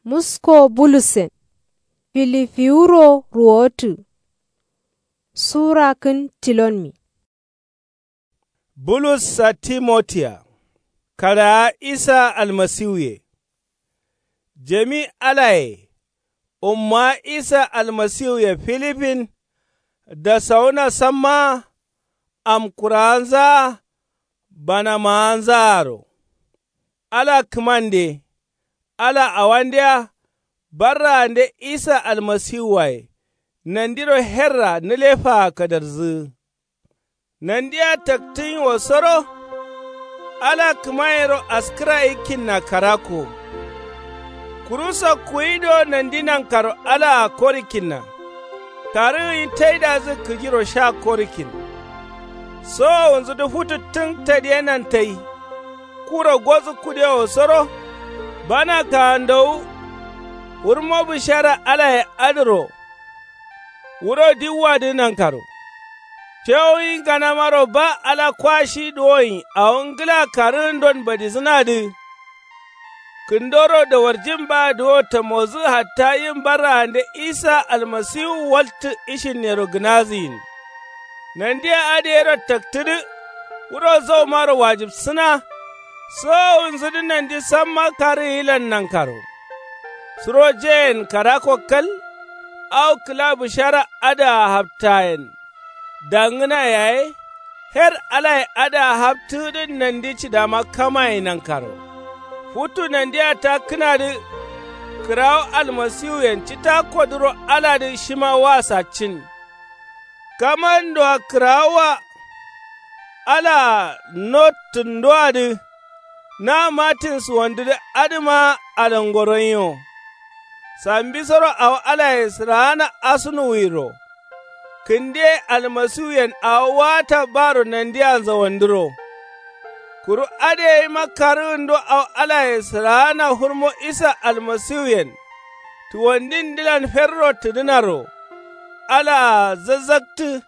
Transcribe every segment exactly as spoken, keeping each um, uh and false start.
Musko bulussen filifiwuro ruwotǝ. Sura kǝn tilonmi. Bulus sa timotiya. Karawa isa almasiwuye. Jami alaye ummawa isa almasiwuye filifin. Dasawuna sammawa. Amkurawanzawa. Banamawanzawaro. Ala kǝmande. Ala awandeya. Barraande isa almasiwuwaye. Nandiro herra nǝlefaa kadarzǝgǝ. Nandiya taktǝnyiwosoro. Ala kǝmayero askǝra yikkinna karakko. Kuru sakkuwi do nandi nankaro alaa korikkinna. Karǝgǝnyi taidazǝ kǝjiro sha korikkin. Sowowunzudǝ futu tǝng tadiyenan tai. Kuro gozǝ kudewosoro. Bana kaandowu. Wurmo bǝshara alaye adǝro. Wuro diwwadǝ nankaro. Fewuyi nganamaro ba ala kwa shi duwonyi awo ngǝla karǝgǝndon badisǝnadǝ. Kǝndoro dawarjin ba duwo tamozǝ hatta yin barraande isa almasiwu waltǝ ishinnero gǝnazǝyin. Nandiya adǝ yero taktǝdǝ. Wuro zaumaro wajibsǝna. Sowowunzudǝ nandi samma karǝgǝyilan nankaro. Suro jeyen karakko kal. Au kǝla bǝshara adǝa haptayen. Dangǝna yaye. Her alaye adǝa haptǝgǝdǝn nandi cidama kamaye nankaro. Futu nandia takkǝnadǝ. Kǝrawo almasiwuyen citakkodǝro aladǝ shima wa saccin. Kamandoa kǝrawoa. Alaa nottǝndoadǝ. Na matin suwandudǝ adǝma alangoronyiwo. Sambisoro awo alaye sǝraana asunuwiro. Kǝndiye almasiwuyen awo waata baro nandia zawanduro. Kuru adǝ yema karǝgǝndo awo alaye sǝraana hurmo isa almasiwuyen. Tuwandindǝlan ferro tǝdǝnaro. Alaa zazzaktǝ.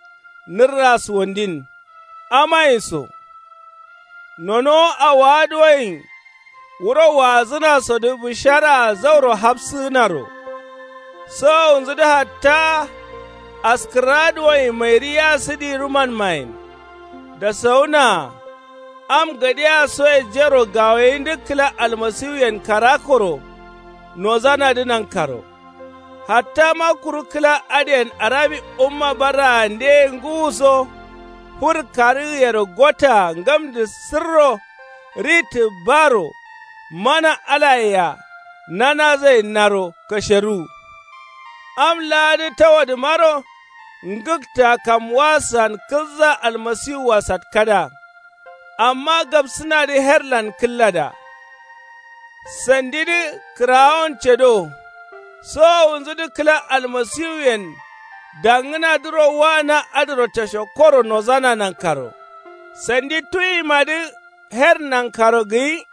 Nǝrra suwandin. Amayin so. Nonowo awowa duwoyin. Wuro waazǝnasodǝ bǝsharaa zauro hafsǝgǝnaro. Sowowunzudǝ hatta. Askǝrra duwoyin mairiyasǝdirumanmayen. Dasawunaa. Am gadiya soye jero gawayindǝ kǝla almasiwuyen karakkoro. Nozanadǝ nankaro. Hatta ma kuru kǝla adǝyen arabi umma barraandeye ngǝwuso. Fur karǝgǝyero gotta ngamdǝ sǝrro. Ritǝ baro. Mana alayea. Nanazainnaro kasheruwu. Am laadǝ tawadǝmaro. Ngǝkta kamwa san kǝzza almasiwua satkada. Amma gabsǝnadǝ herlan kǝllada. Sandidǝ kǝrawon cedo. Sowowunzudǝ kǝla almasiwuyen. Dangǝnadǝro waana adǝro tashokkoro nozana nankaro. Sandi tuyimadǝ. Her nankaro gǝyi.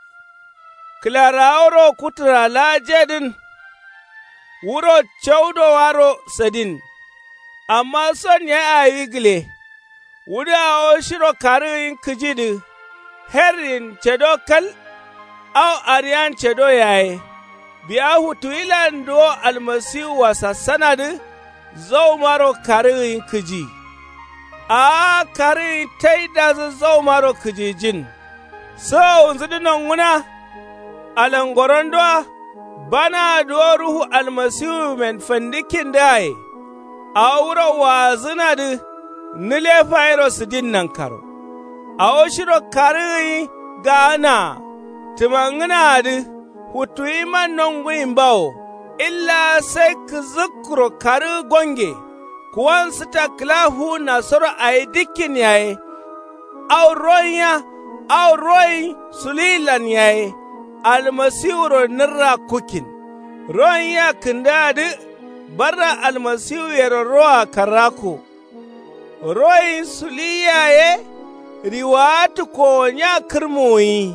Kǝlaraworo kutǝra laa jedǝn. Wuro caudowaro sadin. Amma son yaye awi gǝle. Wudǝ awo shiro karǝgǝyin kǝjidǝ. Herrin cedo kal. Au ariyan cedo yaye. Biya futuwilan duwo almasiwua sassanadǝ. Zaumaro karǝgǝyin kǝji. Aa karǝgǝyin taidazǝ zaumaro kǝjijin. Sowowunzudǝ nongǝna. Alangorondoa. Banaa duwo ruhu almasiwumen fandǝkkindǝaye. Awo wuro waazǝnadǝ. Nǝlefairo sǝdin nankaro. Awo shiro karǝgǝnyi. Gaanaa. Tǝmangǝnaadǝ. Futuwiman nonguyin bawo. Illa sai kǝzǝkkuro karǝgǝ gonge. Kuwan sǝta kǝla fuwunnasoro awi dikkin yaye. Au ronya. Au royin sulilan yaye. Almasiwuro nǝrra kukkin. Ronya kǝndǝadǝ. Barra almasiwuyero roa karrakko. Royin suliya ye. Riwawa tǝkkowonya kǝrmuwuyi.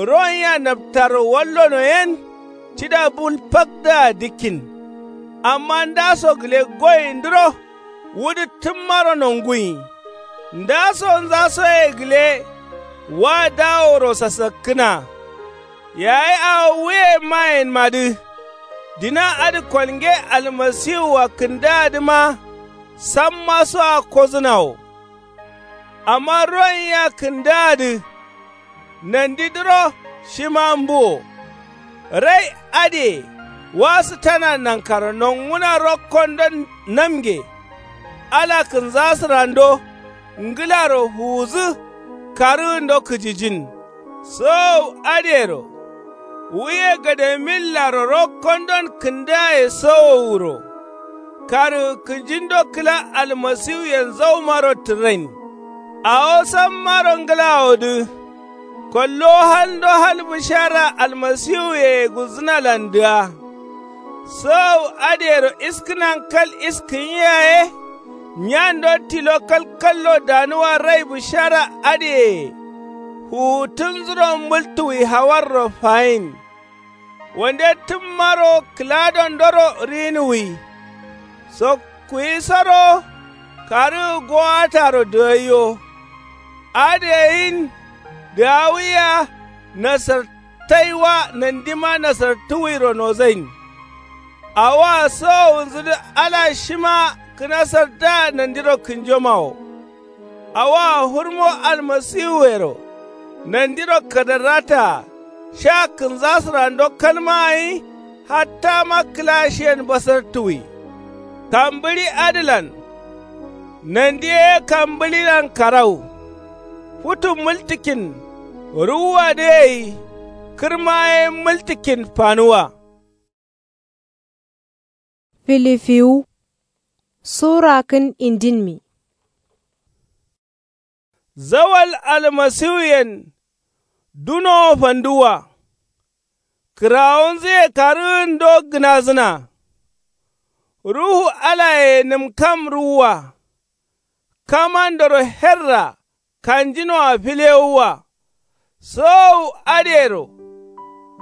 Ronya naptaro wallono yen. Cida bul fakdǝa dikkin. Amma ndaso gǝle goyindǝro. Wudǝ tǝmmaro nonguyi. Ndasonza soye gǝle. Wa daworo sasakkǝna. Yayi awo wuye mayenmadǝ. Dina adǝ kolnge almasiwua kǝndaadǝma samma soa kozǝnawo. Amma ruwanyia kǝndaadǝ nandidǝro shima mbuwo. Rai adǝye wasǝtana nankaro nonguna rokkondon namnge. Ala kǝnzasǝrando ngǝlaro fuwuzǝ karǝgǝndo kǝjijin. Sowowu adǝyero wuye gademillaro rokkondon kǝndaaye sowowuro. Karǝgǝ kǝjindo kǝla almasiwuyen zaumaro tǝrain. Awo sammaro ngǝlawodǝ kollowo halndo hal bǝshara almasiwuyeye gulzǝnalandǝa. Sowowu adǝyero iskǝnan kal iskǝnyi yaye. Nyando tilo kalkallo danuwa rai bǝshara adǝyeye fuwutunzuro mǝltuwi hawarro fayin. Wande tǝmmaro kǝladondoro rinuwi. Sokkuwisoro karǝgǝ gowataro dǝgaiyo. Adǝ yeyin dǝgawia nasartaiwa nandima nasartuwiro nozain. Awoa sowowunzudǝ ala shima kǝnasartǝa nandiro kǝnjomawo. Awoa fǝrmo almasiwuyero nandiro kadarrataa sha kǝnzasǝrando kalma gǝnyi. Hattama kǝlashiyen basartuwi. Kambǝɍi adǝlan nandi ye kambǝɍilan karau. Futu mǝltǝkin ruwuwadǝ gai kǝrma ye mǝltǝkin fanuwa. Filifiwu sura kǝn indinmi. Zawal almasiwuyen dunowo fanduwwa. Kǝrawunzǝye karǝgǝndo gǝnazǝna. Ruhu alaye nǝmkam ruwwa. Kamandoro herra kanjinoa filewuwa. Sowowu adǝyero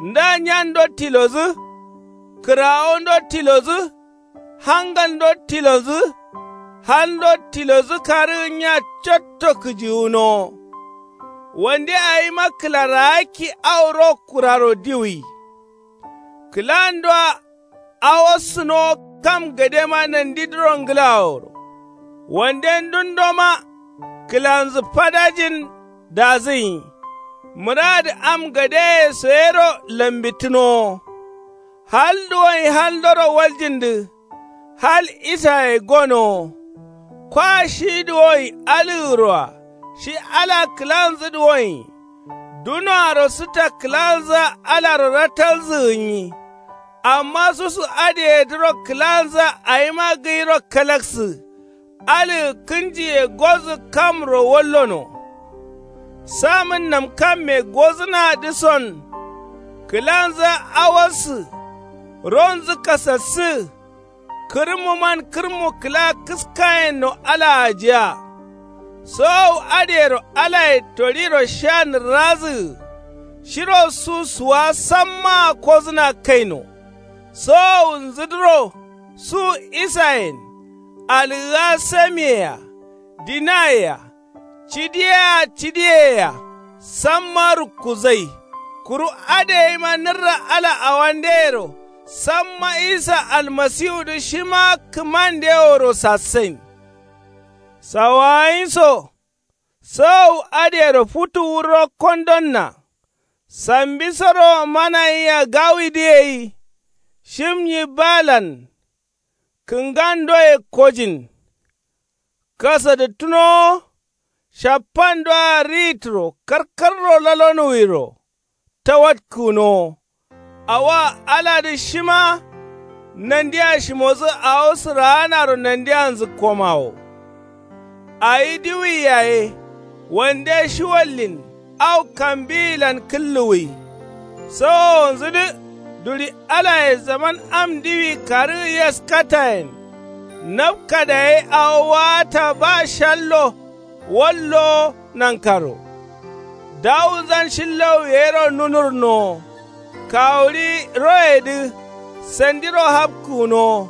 nda nyando tilodǝ. Kǝrawundo tilodǝ. Hangalndo tilodǝ. Halndo tilodǝ karǝgǝnya cotto kǝjiwunowo. Wande awima kǝla raakki au ro kuraro diwuyi. Kǝlandoa awossǝnowo kam gadema nandidǝro ngǝlaworo. Wande ndundoma kǝlanzǝ fadajin dazǝnyi. Mǝradǝ am gadeye soyero lambittǝnowo. Hal duwonyi haldoro waljindǝ. Hal isaye gonowo. Kwa shi duwonyi alǝgǝroa shi ala kǝlanzǝ duwonyi. Dunoaro sǝta kǝlanzǝa alaro ratalzǝ gǝnyi. Amma susu adǝyedǝro kǝlanzǝa awima gǝyiro kalaksǝ. Alǝgǝ kǝnjiye gozǝ kamro wallono. Samǝn namkamme gozǝnadǝson. Kǝlanzǝa awossǝ. Ronzǝ kasassǝ. Kǝrǝmmuman kǝrǝmmu kǝla kǝskayenno alaa ajiya. Sowowu adǝyero alaye toɍiro sha nǝrrazǝgǝ. Shiro su suwa sammaa kozǝna kaino. Sowowunzudǝro su isayen. Algǝa samiyea. Dinayea. Cidiyea cidiyeyea. Samma rukkuzai. Kuru adǝ yeima nǝrra ala awandeyero. Samma isa almasiwudǝ shima kǝmandeworo sassain. Sawagǝnyiso. Sowowu adǝyero futuwu rokkondonna. Sambisoro manayia gawidǝ gai. Shimnyi balan. Kǝngandoye kojin. Kasadǝttǝnowo. Shappandoa riyittǝro karkarro lalonuwiro. Tawatkǝgǝnowo. Awoa aladǝ shima. Nandia shimodǝ awo sǝraanaro nandianzǝ komawo. Awi diwuwi yaye. Wande shiwallin au kambiyilan kǝlluwwi. Sowowonzudǝ. Duɍi alaye zaman am diwuwi karǝgǝ yaskatayen. Nabka dayi awo waata ba shallo. Wallowo nankaro. Dawunzan shillau yero nunurnowo. Kawuɍi royedǝ. Sandiro hapkǝgǝnowo.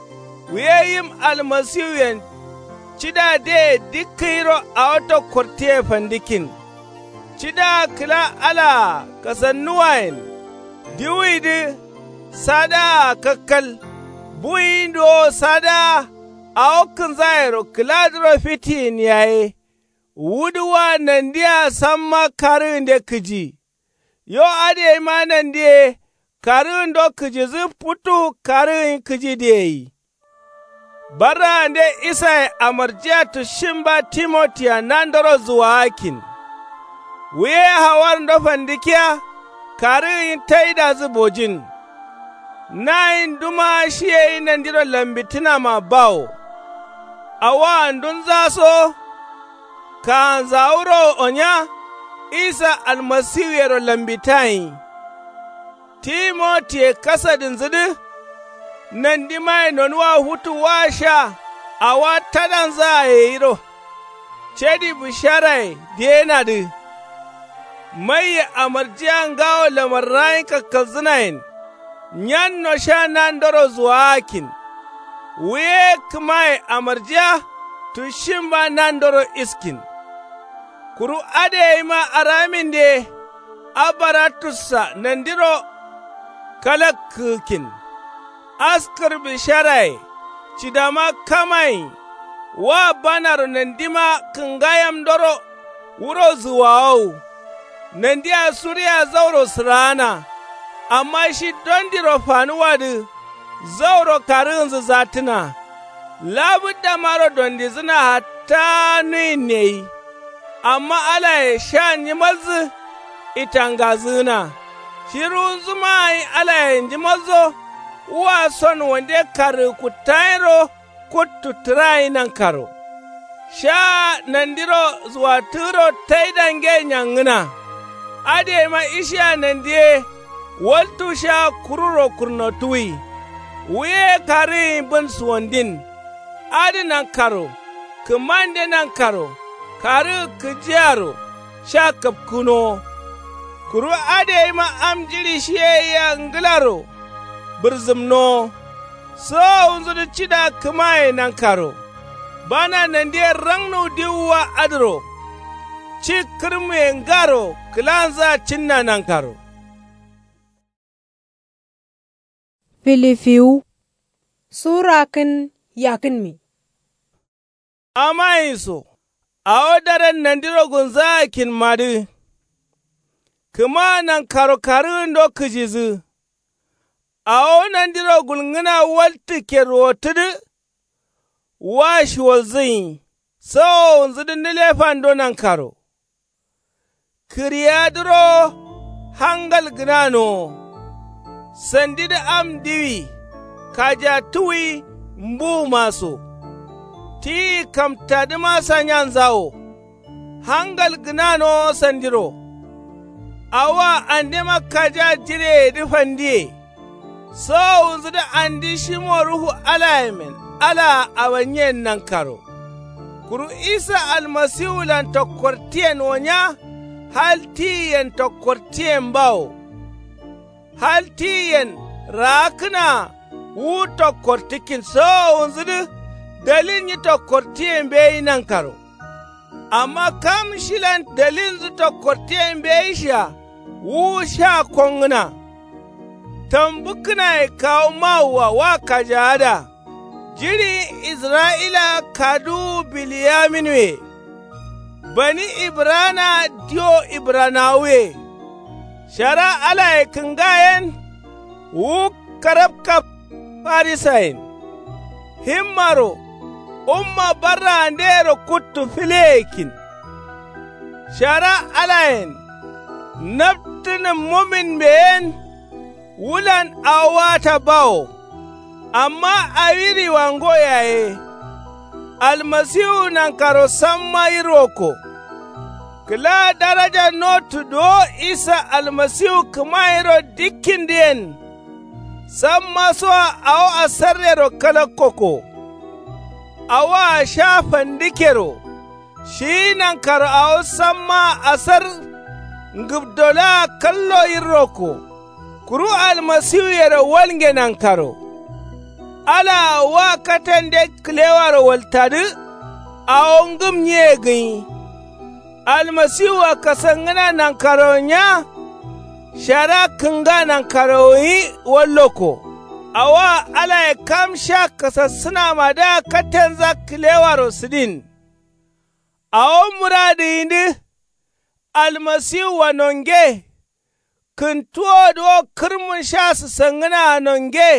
Wiye yim almasiwuyen. Cida deye dikkǝ yiro awo tokkortǝye fandikkin. Cidaa kǝla alaa kasannuwayen. Diwuwidǝ. Sadaa kakkal. Buwinduwo sadaa. Awo kǝnzayero kǝladǝro fitiyin yaye. Wudu wa nandiya samma karǝgǝnde kǝji. Yo adǝ yaima nandiye karǝgǝndo kǝjidǝ futu karǝgǝnyi kǝjidǝ yeyi. Barraande isaye amarjiya tushimba timotiya nandoro zuwaakkin. Wuye hawarndo fandikiya karǝgǝnyi taidadǝ bojin. Nayin duma shiyeyi nandiro lambitǝnama bawo. Awoa ndunzaso kaanzawuro onya isa almasiwuyero lambitayin. Timotiye kasadinzǝdǝ nandimaye nonuwa futu wa sha awa tadanzaa yeyiro. Cadi bǝsharaye diyenadǝ. Maiye amarjiya ngawo lamarrayen kakkalzǝnayen. Nyanno sha nandoro zuwaakkin. Wuye kǝmaye amarjiya tushimba nandoro iskin. Kuru adǝ yaima araminde. Abaratussa nandiro kalakkǝgǝkkin. Askǝr bǝsharaye cidama kamayin. Wa banaro nandima kǝngayamdoro wuro zuwawowu. Nandia suriya zauro sǝraana. Amma shi dondiro fanuwadǝ zauro karǝgǝnzǝ zattǝna. Labǝddamaro dondizǝna hatta nuyin neyi. Amma alaye sha njimalzǝ itangazǝgǝna. Shi ruwunzuma gǝnyi alaye njimalzo. Wu wa son wande karǝgǝ kuttayinro kuttu tǝrayi nankaro. Sha nandiro zuwattǝgǝro taidange nyangǝna. Adǝ yaima ishiya nandiye waltu sha kururo kurnotǝwwi. Wuye karǝgǝnyi bǝn suwandin. Adǝ nankaro kǝmande nankaro karǝgǝ kǝjiyaro sha kapkǝnowo. Kuru adǝ yaima am jiɍi shiye yea ngǝlaro bǝrzǝmnowo. Sowowunzudǝ cida kǝmaye nankaro. Bana nandiye rangnu diwuwa adǝro. Ci kǝrmuye ngaro kǝlanzǝa cinna nankaro. Filifiwu sura kǝn yakǝnmi. Amayinso awo daren nandiro gulnzaakkinmadǝ. Kǝma nankaro karǝgǝndo kǝjidǝ. Awo nandiro gulngǝna waltǝkke ruwottǝdǝ. Wa shiwalzǝnyi sowowunzudǝ nǝlefando nankaro. Kǝriyadǝro hangal gǝnanowo. Sandidǝ am diwi kajattǝwwi mbuwuma so. Tiyi kamtadǝma sanyanzawo. Hangal gǝnanowo sandiro. Awoa andema kaja jireyedǝ fandiye. Sowowunzudǝ andi shimo ruhu alayemen alaa abanyen nankaro. Kuru isa almasiwulan tokkortiyen wonya. Hal tiyiyen tokkortiyen bawo. Hal tiyiyen raakkǝnaa wu tokkortǝkkin sowowunzudǝ dalilnyi tokkortiye mbeyi nankaro. Amma kam shilan dalilnzǝ tokkortiye mbeyishia wu sha kongǝna. Tambǝkkǝnaye kawu mawua wa kajaada. Jiɍi israyila kaduwu biliyaminuwe. Bani ibrana diwo ibranawuye. Shara alaye kǝngayen wu karapkap farisayen. Himmaro umma barraandeyero kuttu fileyekkin. Shara alayen naptǝnǝmmumin mbeyen. Wulan awo wata bawo. Amma awi riwango yaye. Almasiwu nankaro samma yirwokko. Kǝla daraja nottu dowo isa almasiwu kǝmayiro dikkindǝyen. Samma soa awo asarrero kalakkokko. Awoa sha fandikkero. Shiyi nankaro awo sammaa asar ngǝbdolaa kallo yirrokko. Kuru almasiwuyero walnge nankaro. Alaa wa katande kǝlewaro waltadǝ. Awo ngǝmnyiye gǝnyi. Almasiwua kasangǝna nankarowo nya. shara kǝnga nankarowonyi wallokko. Awoa alaye kam sha kasassǝnamadǝa katenza kǝlewaro sǝdin. Awo muradǝyindǝ almasiwua nonge. Kǝntuwodǝ wo kǝrmun sha sǝsangǝnaa nonge.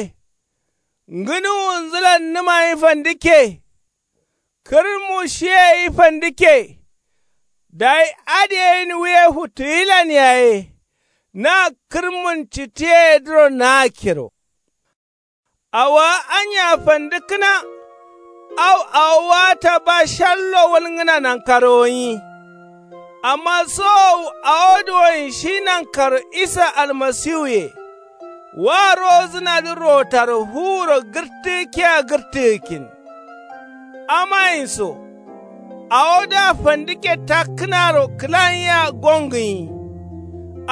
Ngǝnuwunzǝlan nǝmayi fandǝkke. Kǝrmu shiyeyi fandǝkke. Dayi adǝ yeyin wuye futuwilan yaye. Na kǝrmun citiyeyedǝro naakkero. Awowa anya fandǝkkǝna. Au awowa taba shallo walngǝna nankarowonyi. Amma sowowu awo duwoyin shi nankaro isa almasiwuye. Wa rowozǝnadǝ rotaro fuwuro gǝrtǝgǝkkea gǝrtǝgǝkkin. Amayinso awodǝa fandǝkke takkǝnaro kǝlan yea gongǝnyi.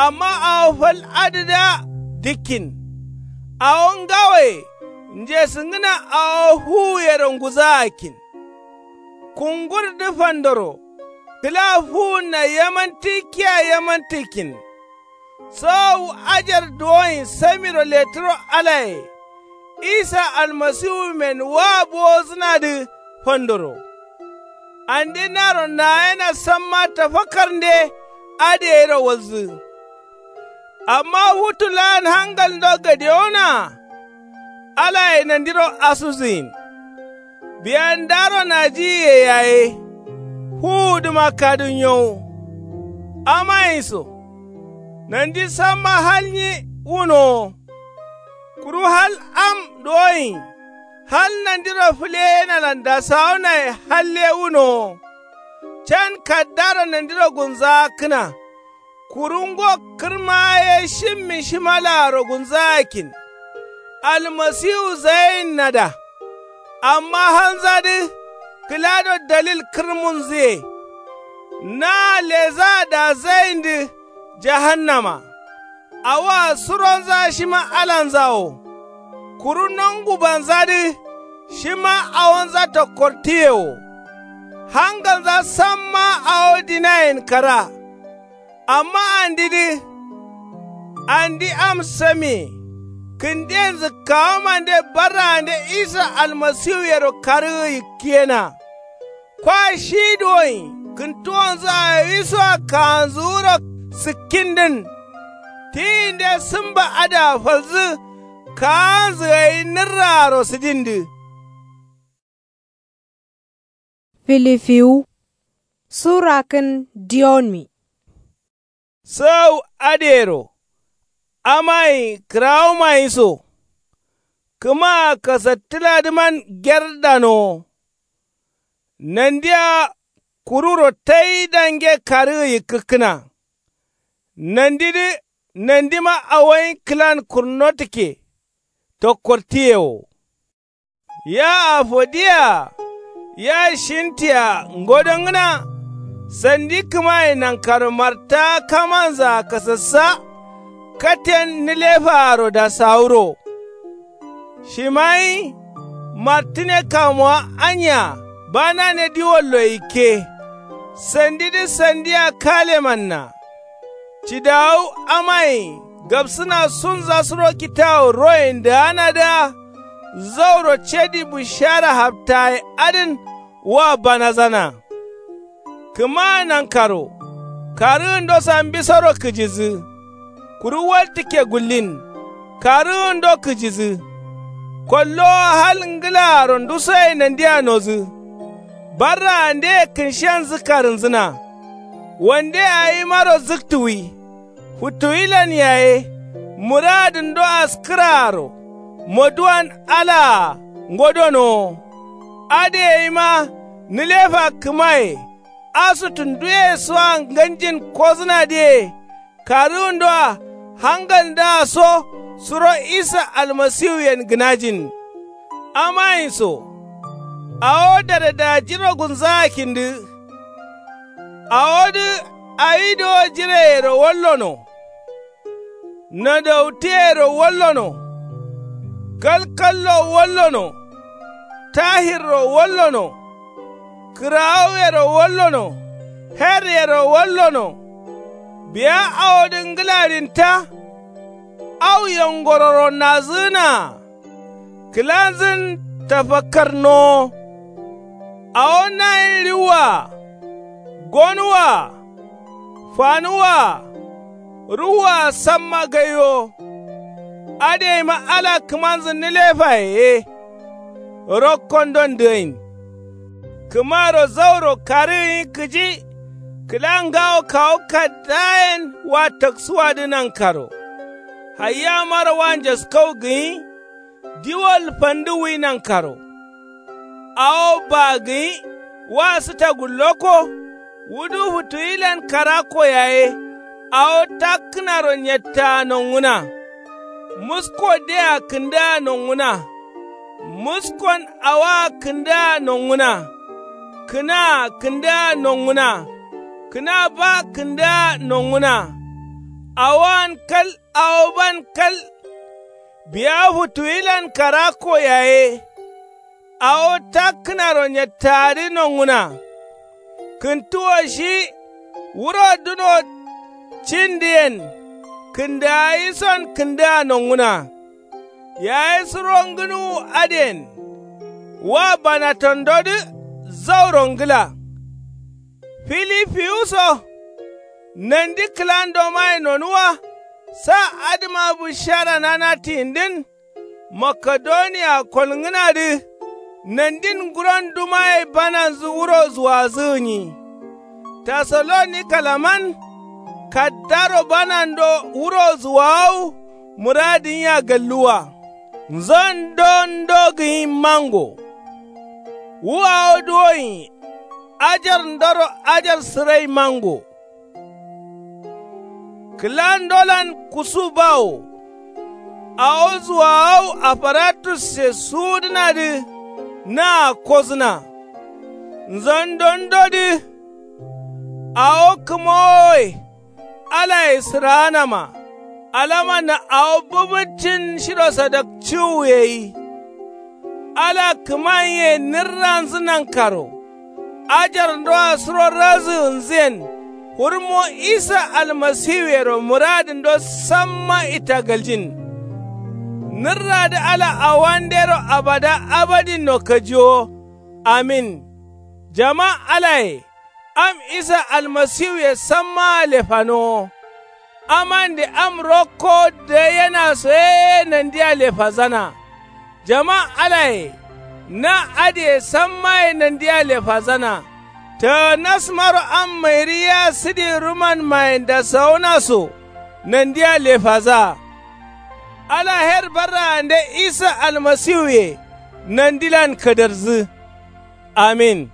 Amma awo fal adǝdǝa dǝkkin. Awo ngawoye njesǝngǝna awo fuwuyero nguzaakkin. Kungurdǝ fandoro kǝla fuwunna yamantǝgǝkkea yamantǝgǝkkin. Sowowu ajar duwoyin samiro letǝro alaye. Isa almasiwumen wa bowozǝnadǝ fandoro. Ande naro nayena samma tafakarnde adǝ yeyiro walzǝ. Amma futu laan hangalndo gadewonaa. Alaye nandiro asuzǝyin. Biya ndaro najiyiye yaye. Fuwudǝma kadǝ nyowu. Amayinso nandi samma hal nyi wunowo. Kuru hal am duwoyin. Hal nandiro fǝleyenalan dasawunaye halle wunowo. Can kaddaro nandiro gunzaakkǝna. Kuru ngo kǝrma ye shimmi shimalaaro gunzaakkin. Almasiwu zayeyinnada. Amma halnzadǝ kǝlado dalil kǝrmunzǝye. Na lezaa dazayindǝ jahannama. Awoa suronza shima alanza wo. Kuru nongubanzadǝ shima awonza tokkortǝye wo. Hangalnza samma awo dinayen kara. Amma andidǝ andi am samiye. Kǝnden zǝkkawamande barraande isa almasiwuyero karǝgǝ yikkǝyena. Kwa shi duwoyin kǝntuwonzǝ awisoa kaanzǝ wuro sǝkkindǝn. Tiyinde sǝmba adǝa falzǝ kaanzǝ gai nǝrraaro sǝdindǝ. Filifiwu sura kǝn diyonmi. Sǝgau adǝyero. Amayi kǝrawumayi so. Kǝmaa kasattǝladǝman gerdanowo. Nandia kururo tai dange karǝgǝ yikkǝkkǝna. Nandidǝ nandima awoyin kǝlan kurno tǝkke. Tokkortǝye wo. Ya afodiya. Ya shintiya ngodongǝna. Sandi kǝmaye nankaro marta kamanzaa kasassa. Katen nǝlefaaro dasawuro. Shimayi martǝne kamuwa anya banane diwollo yikke. Sandidǝ sandia kalemanna. Cidawu amaye gabsǝna sunza suro kitawu royen dǝganadǝa. Zauro cadi bushara haftaye adǝn wa banazana. Kǝma nankaro karǝgǝndo sambisoro kǝjidǝ. Kuru waltǝkke gullin karǝgǝndo kǝjidǝ. Kollowa hal ngǝlaaro ndusoye nandia nodǝ. Barraandeye kǝnshenzǝ karǝnzǝna. Wande awimaro zǝktuwi. Futuwilan yaye muradǝndo askǝraaro. Moduwan alaa ngodonowo. Adǝ yeima nǝlefa kǝmaye. Asutu nduye soa nganjin kozǝnadǝye. Karǝgǝndoa hangalndǝa so suro isa almasiwuyen gǝnajin. Amayinso awo daredajiro gunzaakindǝ. Awodǝ awi dowo jireyero wallono. Nodautǝyero wallono. Kalkallo wallono. Tahirro wallono. Kǝrawuyero wallono. Heryero wallono. Biya awodǝ ngǝladin ta. Au yangororo nazǝgǝnaa. Kǝlanzǝn tafakkar nowo. Awo nayin riwwa-a, gonǝwwa-a, fanǝwwa-a, ruwwa-a samma gaiwo. Adǝyeima ala kǝmanzǝ nǝlefaye ye. Rokkondon dǝgain. Kǝmaro zauro karǝ gǝnyi kǝji. Kǝla ngawo kawu kaddayen wa taksuwadǝ nankaro. Hayyamaro wa njaskau gǝnyi. Diwol fandǝ wi nankaro. Awo baa gǝnyi wa sǝta gullokko. Wudu futuwilan karakko yaye. Awo takkǝnaro nyettaa nongǝna. Musko de-a kǝndǝa nongǝna. Muskon awoa kǝndǝa nongǝna. Kǝnaa kǝndǝa nongǝna. Kǝna ba kǝndǝa nongǝna. Awoan kal awoban kal. Biya futuwilan karakko yaye. Awo takkǝnaro nyettaadǝ nongǝna. Kǝntuwo shi wuro duno cindǝyen. Kǝndǝayison kǝndǝa nongǝna. Yaye suro ngǝnuwu adǝyen. Wa banatandodǝ zauro ngǝla. Filifiwuso. Nandi kǝlandomaye nonuwa. Sa adǝma bǝshara nanatiyindǝn. Makedoniya kolngǝnadǝ. Nandin nguron dumaye bananzǝ wuro zuwazǝ gǝnyi. Tasalonikalanman. Kaddaro banando wuro zuwawu. Mǝradǝ gǝnya galluwa. Nzon dondo gǝnyi mango. Wu awo duwo gǝnyi. Ajarndoro ajar sǝrai mango. Kǝlandolan kusu bawo. Awo zuwawu aparatusse suwudǝnadǝ. Naa kozǝna. Nzondondodǝ. Awo kǝmowoye. Alaye sǝraanama. Alamanna awo bǝbǝccin shiro sadakciwuye yi. Ala kǝmanye nǝrranzǝ nankaro. Ajarndoa suro razǝgǝnzǝyen. Hurmo isa almasiwuyero mǝradǝndo samma itagaljin. Nǝrradǝ ala awandero abada abadinno kajiwo. Amin. Jama alaye. Am isa almasiwuye sammaa lefanowo. Amande am rokko dǝgaiyena so ye nandia lefazana. Jama alaye. Na adǝye sammaye nandia lefazana. Taganasmaro am mairǝ ya sǝdi rumanmayen dasawuna so. Nandia lefaza. Ala her barraande isa almasiwuye. Nandilan kadarzǝ. Amin.